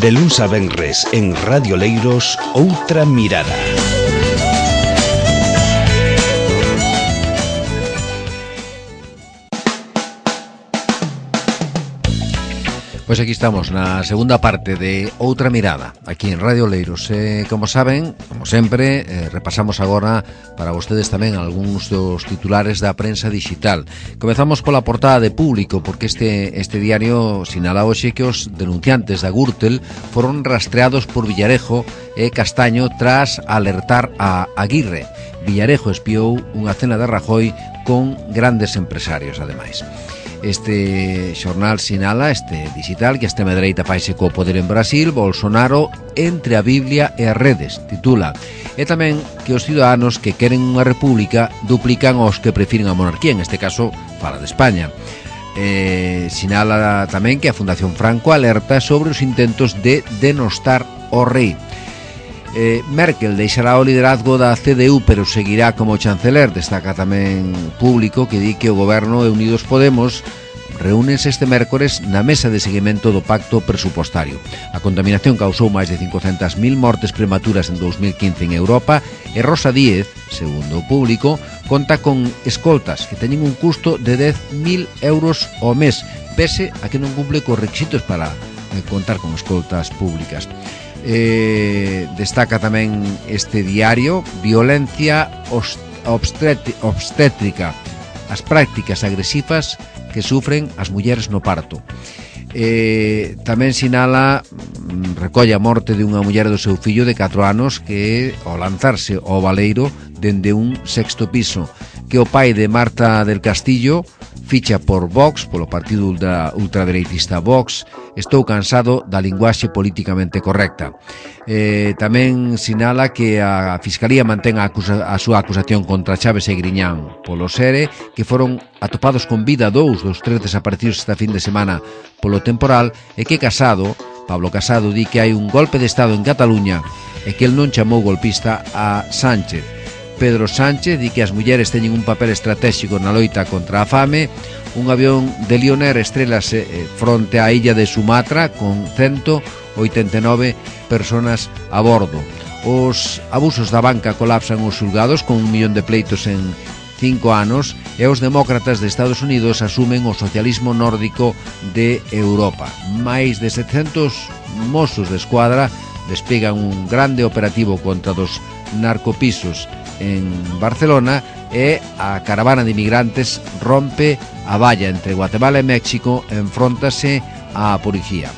De luns a venres en Radio Leiros, Outra Mirada. Pois aquí estamos na segunda parte de Outra Mirada, aquí en Radio Leiros. Como saben, como sempre, repasamos agora para vostedes tamén algúns dos titulares da prensa digital. Comezamos pola portada de Público, porque este diario sinala hoxe que os denunciantes da Gürtel foron rastreados por Villarejo e Castaño tras alertar a Aguirre. Villarejo espiou unha cena de Rajoy con grandes empresarios, ademais. Este xornal sinala, este digital, que a extrema dereita faise co poder en Brasil, Bolsonaro entre a Biblia e as redes, titula. E tamén que os ciudadanos que queren unha república duplican aos que prefiren a monarquía, en este caso fala de España. Sinala tamén que a Fundación Franco alerta sobre os intentos de denostar o rei. Merkel deixará o liderazgo da CDU, pero seguirá como chanceler. Destaca tamén Público, que di que o goberno de Unidos Podemos reúnense este mércores na mesa de seguimento do pacto presupostario. A contaminación causou máis de 500.000 mortes prematuras en 2015 en Europa e Rosa Díez, segundo o Público, conta con escoltas que teñen un custo de 10.000 euros ao mes, pese a que non cumple cos requisitos para contar con escoltas públicas. Destaca tamén este diario violencia obstétrica, as prácticas agresivas que sufren as mulleres no parto. Tamén sinala, recolle a morte de unha muller do seu fillo de 4 anos que ao lanzarse ao baleiro dende un 6º piso, que o pai de Marta del Castillo ficha por Vox, polo partido ultradereitista Vox. Estou cansado da linguaxe políticamente correcta. Tamén sinala que a Fiscalía mantén a súa acusación contra Chaves e Griñán polo SERE, que foron atopados con vida 2 dos 3 desaparecidos esta fin de semana polo temporal, e que Pablo Casado, di que hai un golpe de Estado en Cataluña e que el non chamou golpista a Sánchez. Pedro Sánchez di que as mulleres teñen un papel estratégico na loita contra a fame. Un avión de Lioner estrélase fronte á illa de Sumatra con 189 personas a bordo. Os abusos da banca colapsan os xulgados con 1 millón de pleitos en 5 anos e os demócratas de Estados Unidos asumen o socialismo nórdico de Europa. Máis de 700 mozos de escuadra despegan un grande operativo contra dos narcopisos en Barcelona e a caravana de inmigrantes rompe a valla entre Guatemala e México, enfróntase á policía.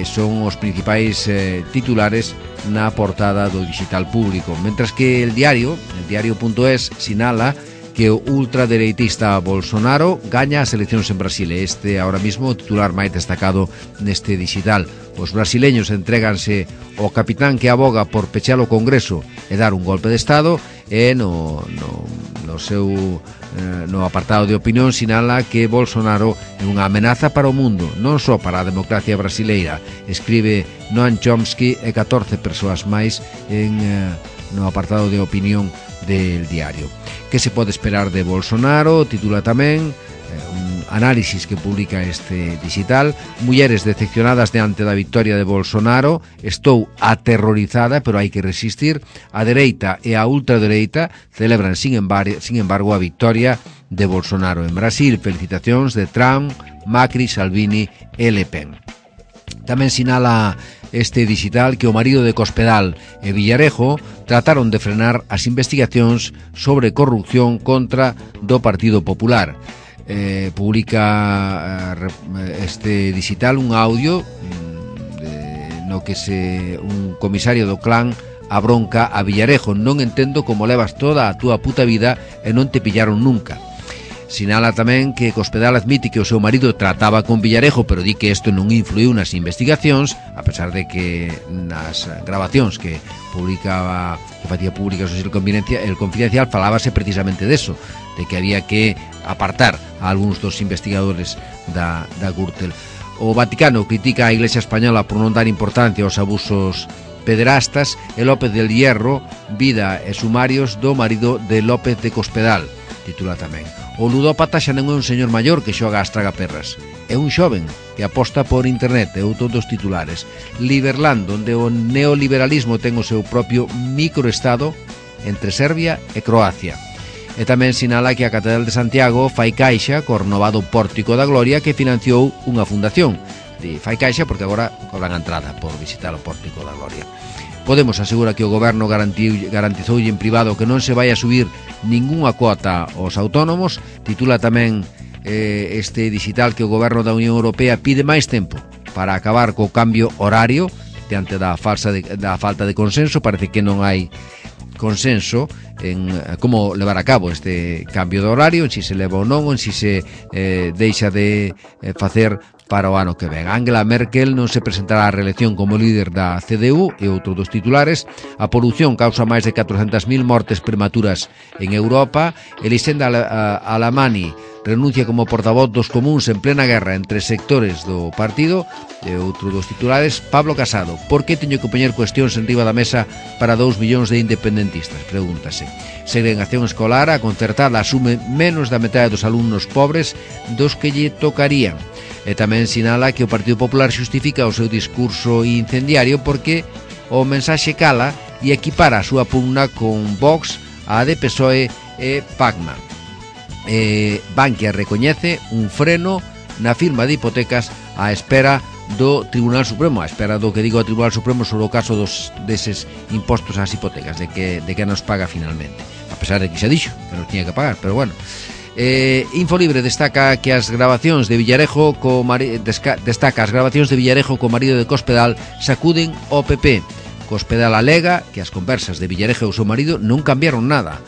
Son os principais titulares na portada do digital Público, mentras que el diario.es sinala que o ultradereitista Bolsonaro gaña as eleccións en Brasil. Este ahora mismo o titular máis destacado neste digital. Os brasileños entréganse ao capitán que aboga por pechar o Congreso e dar un golpe de Estado, e no apartado de opinión sinala que Bolsonaro é unha amenaza para o mundo, non só para a democracia brasileira. Escribe Noam Chomsky e 14 persoas máis no apartado de opinión del diario. Que se pode esperar de Bolsonaro? Titula tamén un análisis que publica este digital. Mulleres decepcionadas diante da victoria de Bolsonaro. Estou aterrorizada, pero hai que resistir. A dereita e a ultradereita celebran, sin embargo, a victoria de Bolsonaro en Brasil. Felicitacións de Trump, Macri, Salvini e Le Pen. Tamén sinala este digital que o marido de Cospedal e Villarejo trataron de frenar as investigacións sobre corrupción contra do Partido Popular. Publica este digital un audio no que un comisario do clan abronca a Villarejo: non entendo como levas toda a túa puta vida e non te pillaron nunca. Sinala tamén que Cospedal admite que o seu marido trataba con Villarejo, pero di que isto non influiu nas investigacións, a pesar de que nas grabacións que facía públicas o El Confidencial falábase precisamente deso, de que había que apartar a algúns dos investigadores da Gürtel. O Vaticano critica a Iglesia Española por non dar importancia aos abusos pederastas, e López del Hierro, vida e sumarios do marido de López de Cospedal. titula tamén. O ludópata xa non é un señor maior que xoga ás tragaperras, é un xoven que aposta por internet, é outro dos titulares. Liberland, onde o neoliberalismo ten o seu propio microestado entre Serbia e Croacia. E tamén sinala que a Catedral de Santiago fai caixa co renovado Pórtico da Gloria que financiou unha fundación. Fai caixa porque agora cobran a entrada por visitar o Pórtico da Gloria. Podemos asegura que o goberno garantizoulle en privado que non se vai a subir ningunha cuota aos autónomos. Titula tamén este digital que o goberno da Unión Europea pide máis tempo para acabar co cambio horario diante da falta de consenso. Parece que non hai consenso en como levar a cabo este cambio de horario, en si se leva ou non, en si se deixa de facer para o ano que ven. Angela Merkel non se presentará á reelección como líder da CDU e outro dos titulares. A polución causa máis de 400.000 mortes prematuras en Europa. Elisenda Alamani renuncia como portavoz dos comuns en plena guerra entre sectores do partido. E outro dos titulares, Pablo Casado, por que teño que poñer cuestións en riba da mesa para 2 millóns de independentistas? Pregúntase. Segregación escolar, a concertada asume menos da metade dos alumnos pobres dos que lle tocarían. E tamén sinala que o Partido Popular xustifica o seu discurso incendiario porque o mensaxe cala e equipara a súa pugna con Vox, a de PSOE e PACMA. Bankia recoñece un freno na firma de hipotecas á espera do Tribunal Supremo, á espera do que diga o Tribunal Supremo sobre o caso deses impostos ás hipotecas, de que nos paga finalmente, a pesar de que xa dixo que nos tiña que pagar, pero bueno. Infolibre destaca que as grabacións de Villarejo co marido de Cospedal sacuden o PP. Cospedal alega que as conversas de Villarejo e o seu marido non cambiaron nada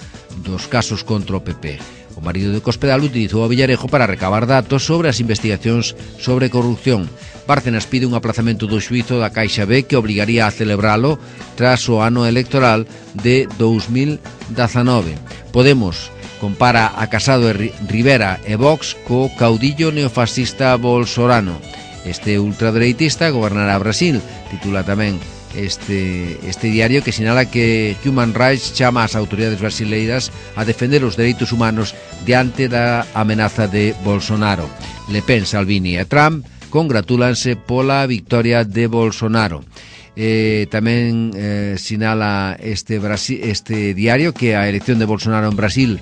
dos casos contra o PP. O marido de Cospedal utilizou a Villarejo para recabar datos sobre as investigacións sobre corrupción. Bárcenas pide un aplazamento do xuízo da Caixa B que obligaría a celebralo tras o ano electoral de 2019. Podemos compara a Casado e Rivera e Vox co caudillo neofascista Bolsonaro. Este ultradereitista gobernará Brasil, titula tamén este diario, que sinala que Human Rights chama ás autoridades brasileiras a defender os dereitos humanos diante da amenaza de Bolsonaro. Le Pen, Salvini e Trump congratúlanse pola victoria de Bolsonaro. Tamén sinala este diario que a elección de Bolsonaro en Brasil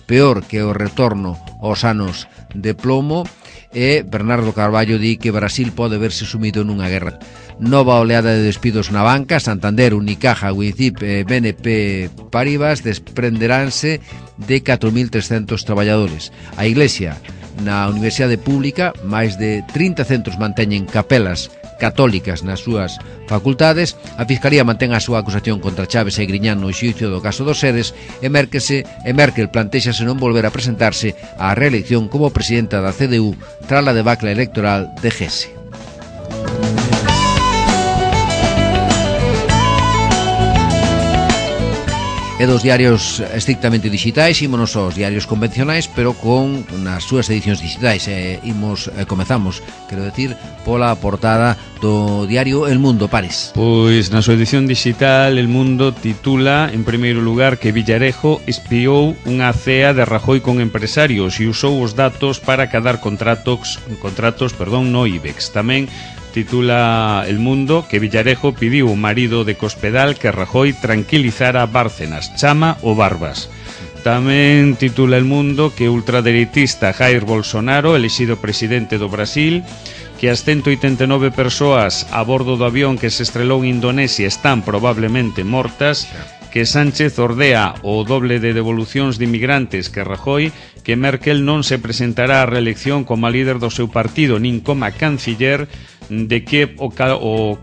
peor que o retorno aos anos de plomo. E Bernardo Carballo di que Brasil pode verse sumido nunha guerra. Nova oleada de despidos na banca. Santander, Unicaja, Wincip e BNP Paribas desprenderánse de 4.300 traballadores. A Iglesia, na Universidade Pública, máis de 30 centros manteñen capelas católicas nas súas facultades. A Fiscalía mantén a súa acusación contra Chaves e Griñán no xuízo do caso dos Seres e Merkel plantéxase non volver a presentarse á reelección como presidenta da CDU tras a debacle electoral de Gese. E dos diarios estrictamente digitais, ímonos aos diarios convencionais, pero con nas súas edicións digitais. Comezamos, quero decir, pola portada do diario El Mundo. Pares. Pois na súa edición digital El Mundo titula, en primeiro lugar, que Villarejo espiou unha cea de Rajoy con empresarios e usou os datos para cadar contratos no IBEX. Tamén titula El Mundo que Villarejo pidiu ao marido de Cospedal que Rajoy tranquilizara Bárcenas, chama o Barbas. Tamén titula El Mundo que o ultradereitista Jair Bolsonaro, elixido presidente do Brasil, que as 189 persoas a bordo do avión que se estrelou en Indonesia están probablemente mortas, que Sánchez ordea o doble de devolucións de inmigrantes que Rajoy, que Merkel non se presentará á reelección como líder do seu partido nin como canciller, de que o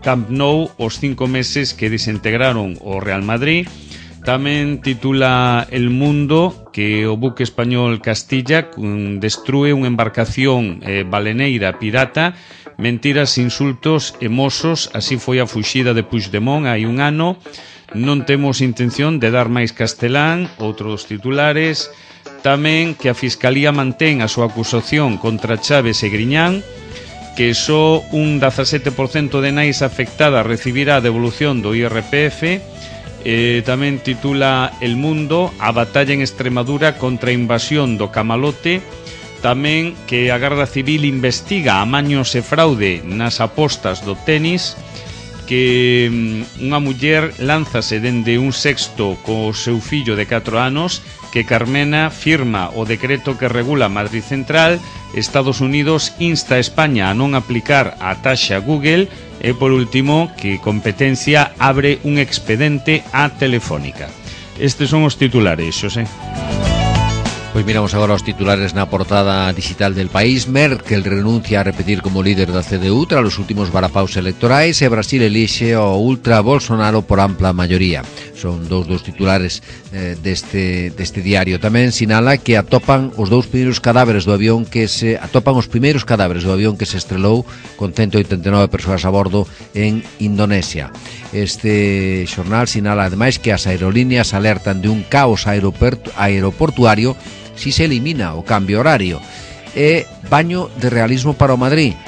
Camp Nou os 5 meses que desintegraron o Real Madrid. Tamén titula El Mundo que o buque español Castilla destrúe unha embarcación baleneira pirata. Mentiras, insultos e mosos, así foi a fuxida de Puigdemont hai un ano. Non temos intención de dar máis castelán, outro dos titulares. Tamén que a Fiscalía mantén a súa acusación contra Chaves e Griñán, que só un 17% de nais afectadas recibirá a devolución do IRPF, Tamén titula El Mundo, a batalla en Extremadura contra a invasión do camalote. Tamén que a Garda Civil investiga amaños e fraude nas apostas do tenis, que unha muller lánzase dende un sexto co seu fillo de 4 anos, que Carmena firma o decreto que regula Madrid Central, Estados Unidos insta a España a non aplicar a taxa Google e, por último, que Competencia abre un expedente a Telefónica. Estes son os titulares, Xosé. Pois miramos agora os titulares na portada digital del País. Merkel renuncia a repetir como líder da CDU tras os últimos varapaus electorais e Brasil elixe o ultra Bolsonaro por ampla maioría. Son dous dos titulares deste diario. Tamén sinala que atopan os primeiros cadáveres do avión que se estrelou con 189 persoas a bordo en Indonesia. Este xornal sinala ademais que as aerolíneas alertan de un caos aeroportuario si se elimina o cambio horario. E baño de realismo para o Madrid.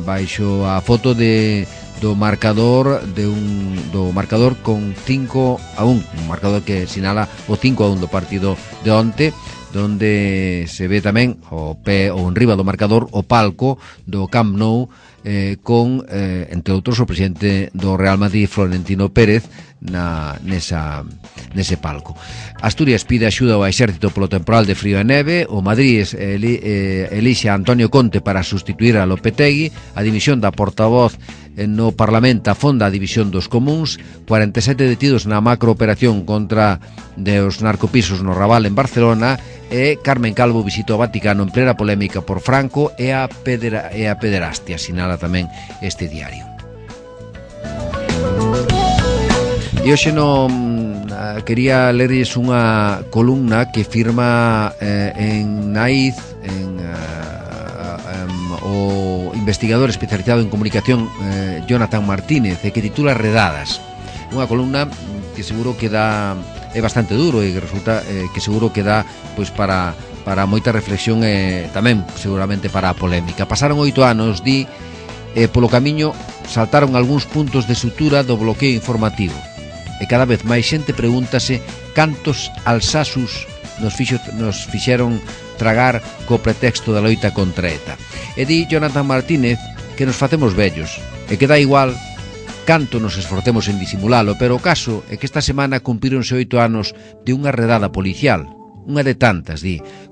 Baixo a foto do marcador do marcador con 5-1, un marcador que sinala o 5-1 do partido de onte, donde se ve tamén o enriba do marcador o palco do Camp Nou, con, entre outros, o presidente do Real Madrid, Florentino Pérez, nese palco. Asturias pide axuda ao exército polo temporal de frío e neve. O Madrid elixe a Antonio Conte para sustituir a Lopetegui. A dimisión da portavoz no Parlamento afonda a división dos comuns. 47 detidos na macrooperación contra os narcopisos no Raval en Barcelona. E Carmen Calvo visitou o Vaticano en plena polémica por Franco e a pederastia, sinala tamén este diario. E hoxe quería lerles unha columna que firma en Naiz, o investigador especializado en comunicación Jonathan Martínez, e que titula Redadas. Unha columna que seguro que é bastante duro e que resulta que seguro que dá pois para moita reflexión e tamén seguramente para a polémica. Pasaron 8 anos, e polo camiño saltaron algúns puntos de sutura do bloqueo informativo. E cada vez máis xente pregúntase cantos alsasus nos fixeron tragar co pretexto da loita contra ETA. E di Jonathan Martínez que nos facemos vellos e que dá igual canto nos esforcemos en disimulalo, pero o caso é que esta semana cumpríronse 8 anos de unha redada policial, unha de tantas,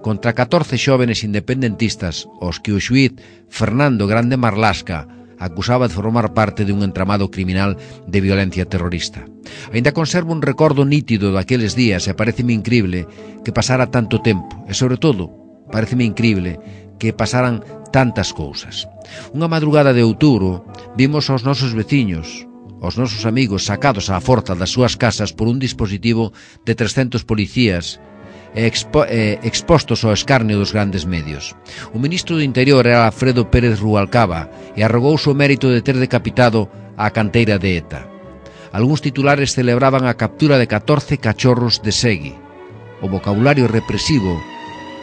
contra 14 xóvenes independentistas aos que o xuíz Fernando Grande Marlasca acusaba de formar parte de un entramado criminal de violencia terrorista. Ainda conservo un recordo nítido daqueles días e pareceme incrible que pasara tanto tempo e, sobre todo, pareceme incrible que pasaran tantas cousas. Unha madrugada de outubro vimos aos nosos veciños, aos nosos amigos sacados á forza das súas casas por un dispositivo de 300 policías expostos ao escarnio dos grandes medios. O ministro do Interior era Alfredo Pérez Rubalcaba e arrogouse o mérito de ter decapitado a canteira de ETA. Algúns titulares celebraban a captura de 14 cachorros de Segui. O vocabulario represivo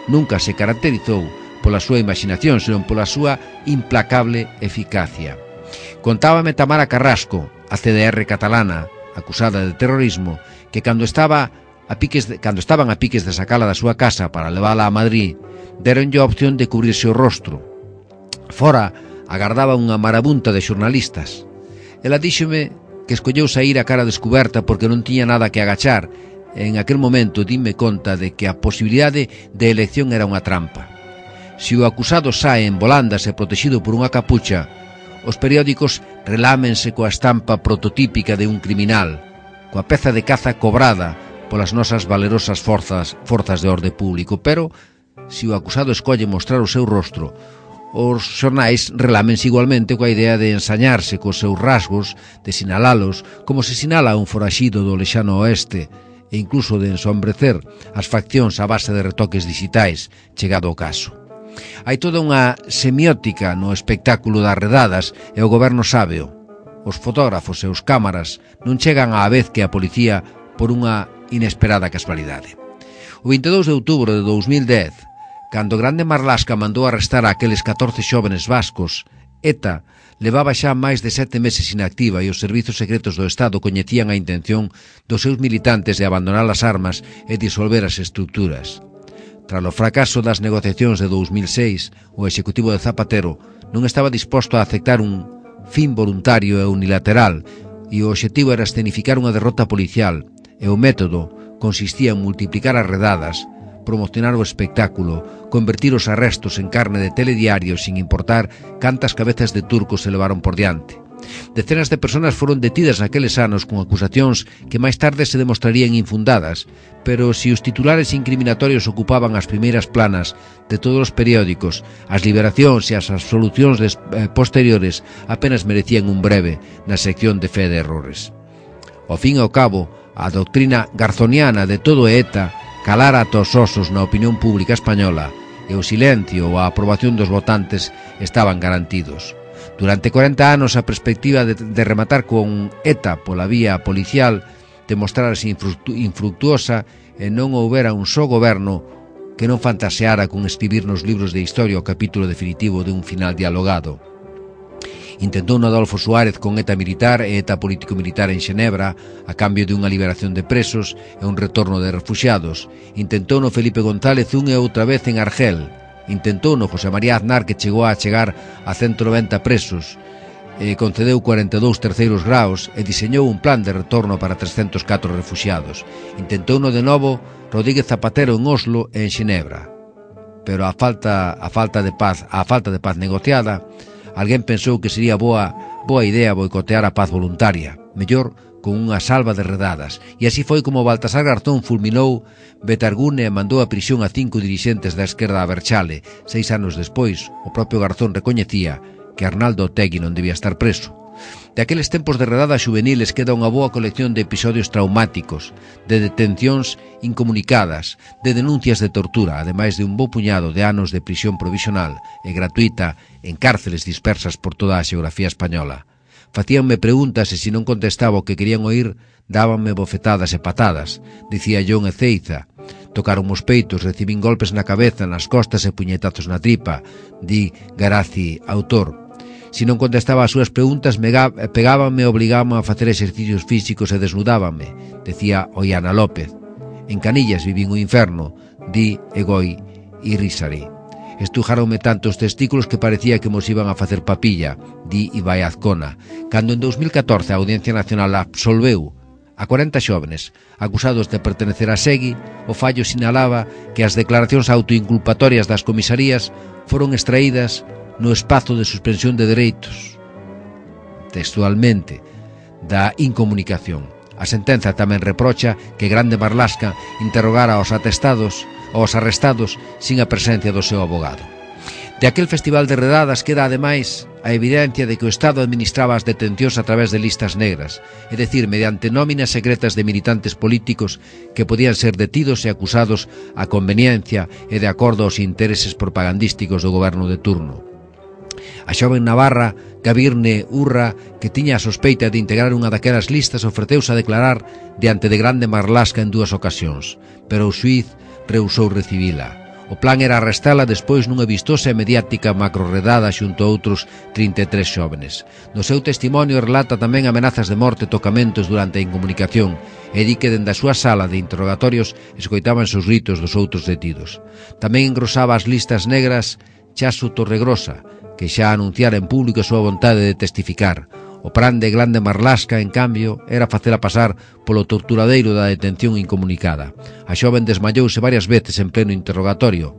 nunca se caracterizou pola súa imaginación, senón pola súa implacable eficacia. Contábame Tamara Carrasco, a CDR catalana, acusada de terrorismo, que cando estaban a piques de sacala da súa casa para levala a Madrid, deronlle a opción de cubrirse o rostro. Fora agardaba unha marabunta de xornalistas. Ela díxome que escolleu sair a cara descuberta porque non tiña nada que agachar. En aquel momento dime conta de que a posibilidade de elección era unha trampa. Se o acusado sae en volandas e protegido por unha capucha, os periódicos relámense coa estampa prototípica de un criminal, coa peza de caza cobrada polas nosas valerosas forzas de orde público. Pero, se o acusado escolle mostrar o seu rostro, os xornais relámense igualmente coa idea de ensañarse cos seus rasgos, de sinalalos como se sinala un foraxido do lexano oeste, e incluso de ensombrecer as faccións a base de retoques digitais, chegado o caso. Hai toda unha semiótica no espectáculo das redadas e o goberno sábeo. Os fotógrafos e os cámaras non chegan á vez que a policía por unha inesperada casualidade. O 22 de outubro de 2010, cando Grande Marlasca mandou arrestar a aqueles 14 xóvenes vascos ETA levaba xa máis de 7 meses inactiva e os servizos secretos do Estado coñecían a intención dos seus militantes de abandonar as armas e disolver as estruturas. Tras o fracaso das negociacións de 2006, o executivo de Zapatero non estaba disposto a aceptar un fin voluntario e unilateral e o obxectivo era escenificar unha derrota policial e o método consistía en multiplicar as redadas, promocionar o espectáculo, convertir os arrestos en carne de telediario sin importar cantas cabezas de turcos se levaron por diante. Decenas de personas foron detidas naqueles anos con acusacións que máis tarde se demostrarían infundadas, pero se os titulares incriminatorios ocupaban as primeiras planas de todos os periódicos, as liberacións e as absolucións posteriores apenas merecían un breve na sección de fe de errores. Ao fin e ao cabo, a doutrina garzoniana de todo ETA calara ata os osos na opinión pública española e o silencio ou a aprobación dos votantes estaban garantidos. Durante 40 anos a perspectiva de rematar con ETA pola vía policial demostrarase infructuosa e non houbera un só goberno que non fantaseara con escribir nos libros de historia o capítulo definitivo de un final dialogado. Intentou Adolfo Suárez con ETA militar e ETA político-militar en Xenebra a cambio de unha liberación de presos e un retorno de refuxiados. Intentou no Felipe González unha e outra vez en Argel. Intentou no José María Aznar, que chegou a chegar a 190 presos, concedeu 42 terceiros graos e diseñou un plan de retorno para 304 refuxiados. Intentou no de novo Rodríguez Zapatero en Oslo e en Xenebra. Pero a falta de paz negociada, alguén pensou que sería boa idea boicotear a paz voluntaria, mellor con unha salva de redadas, e así foi como Baltasar Garzón fulminou Betargune e mandou a prisión a 5 dirixentes da esquerda a Berchale. 6 anos despois, o propio Garzón recoñecía que Arnaldo Otegi non debía estar preso. De aqueles tempos de redadas juveniles queda unha boa colección de episodios traumáticos, de detencións incomunicadas, de denuncias de tortura, ademais de un bo puñado de anos de prisión provisional e gratuita en cárceles dispersas por toda a xeografía española. Facíanme preguntas e se non contestaba o que querían oír, dábanme bofetadas e patadas, dicía John Ezeiza. Tocaron os peitos, recibín golpes na cabeza, nas costas e puñetazos na tripa, di Garazi, autor. Se non contestaba as súas preguntas, pegábanme e obligábanme a facer exercicios físicos e desnudábanme, decía Ollana López. En Canillas vivín o inferno, di Egoi Irisari. Estrujáronme tanto os testículos que parecía que mos iban a facer papilla, di Ibai Azcona. Cando en 2014 a Audiencia Nacional absolveu a 40 xóvenes acusados de pertenecer a Segui, o fallo sinalaba que as declaracións autoinculpatorias das comisarías foron extraídas no espazo de suspensión de dereitos, textualmente, da incomunicación. A sentenza tamén reprocha que Grande Marlaska interrogara aos arrestados sin a presencia do seu abogado. De aquel festival de redadas queda ademais a evidencia de que o Estado administraba as detencións a través de listas negras, é dicir, mediante nóminas secretas de militantes políticos que podían ser detidos e acusados a conveniencia e de acordo aos intereses propagandísticos do goberno de turno. A xoven navarra Gabirne Urra, que tiña a sospeita de integrar unha daquelas listas, ofreceuse a declarar diante de Grande Marlaska en 2 ocasións, pero o xuíz rehusou recibila. O plan era arrestala despois nunha vistosa e mediática macroredada xunto a outros 33 xóvenes. No seu testimonio relata tamén amenazas de morte e tocamentos durante a incomunicación e di que dende a súa sala de interrogatorios escoitábanse os gritos dos outros detidos. Tamén engrosaba as listas negras Chasu Torregrosa, que xa anunciara en público a súa vontade de testificar. O plan de Grande Marlaska, en cambio, era facela pasar polo torturadeiro da detención incomunicada. A xoven desmayouse varias veces en pleno interrogatorio,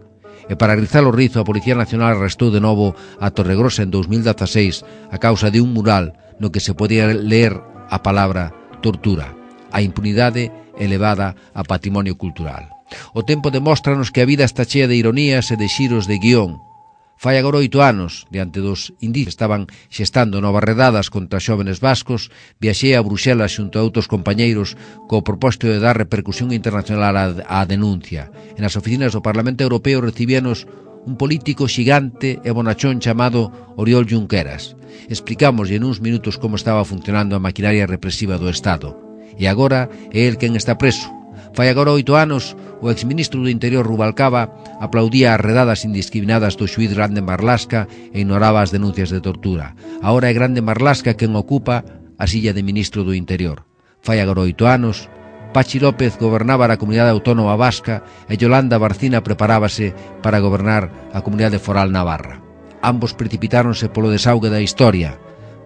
e para rizar o rizo a Policía Nacional arrestou de novo a Torregrosa en 2016 a causa de un mural no que se podía ler a palabra tortura. A impunidade elevada a patrimonio cultural. O tempo demóstranos que a vida está chea de ironías e de xiros de guión. Fai agora 8 anos, diante dos indicios que estaban xestando novas redadas contra xóvenes vascos, viaxei a Bruxelas xunto a outros compañeiros co propósito de dar repercusión internacional á denuncia. En as oficinas do Parlamento Europeo recibíanos un político xigante e bonachón chamado Oriol Junqueras. Explicámoslle en uns minutos como estaba funcionando a maquinaria represiva do Estado. E agora é el quen está preso. Fai agora 8 anos, o exministro do Interior Rubalcaba aplaudía as redadas indiscriminadas do xuíz Grande Marlasca e ignoraba as denuncias de tortura. Agora é Grande Marlasca quen ocupa a silla de ministro do Interior. Fai agora 8 anos, Pachi López gobernaba a comunidade autónoma vasca e Yolanda Barcina preparábase para gobernar a comunidade foral navarra. Ambos precipitáronse polo desaugue da historia.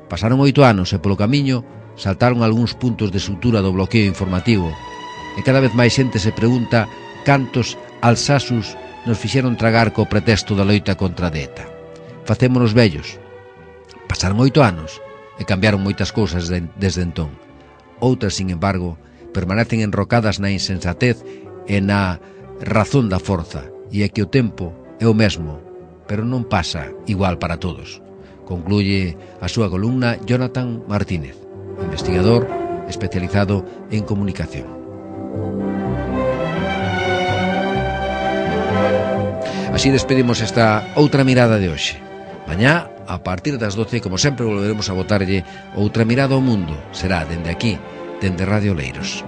Pasaron 8 anos e polo camiño saltaron algúns puntos de sutura do bloqueo informativo. E cada vez máis xente se pregunta cantos alsasus nos fixeron tragar co pretexto da loita contra a ETA. Facémonos vellos. Pasaron 8 anos e cambiaron moitas cousas desde entón. Outras, sin embargo, permanecen enrocadas na insensatez e na razón da forza, e é que o tempo é o mesmo, pero non pasa igual para todos. Concluye a súa columna Jonathan Martínez, investigador especializado en comunicación. Así despedimos esta outra mirada de hoxe. Mañá, a partir das 12, como sempre, volveremos a botarlle outra mirada ao mundo. Será dende aquí, dende Radio Leiros.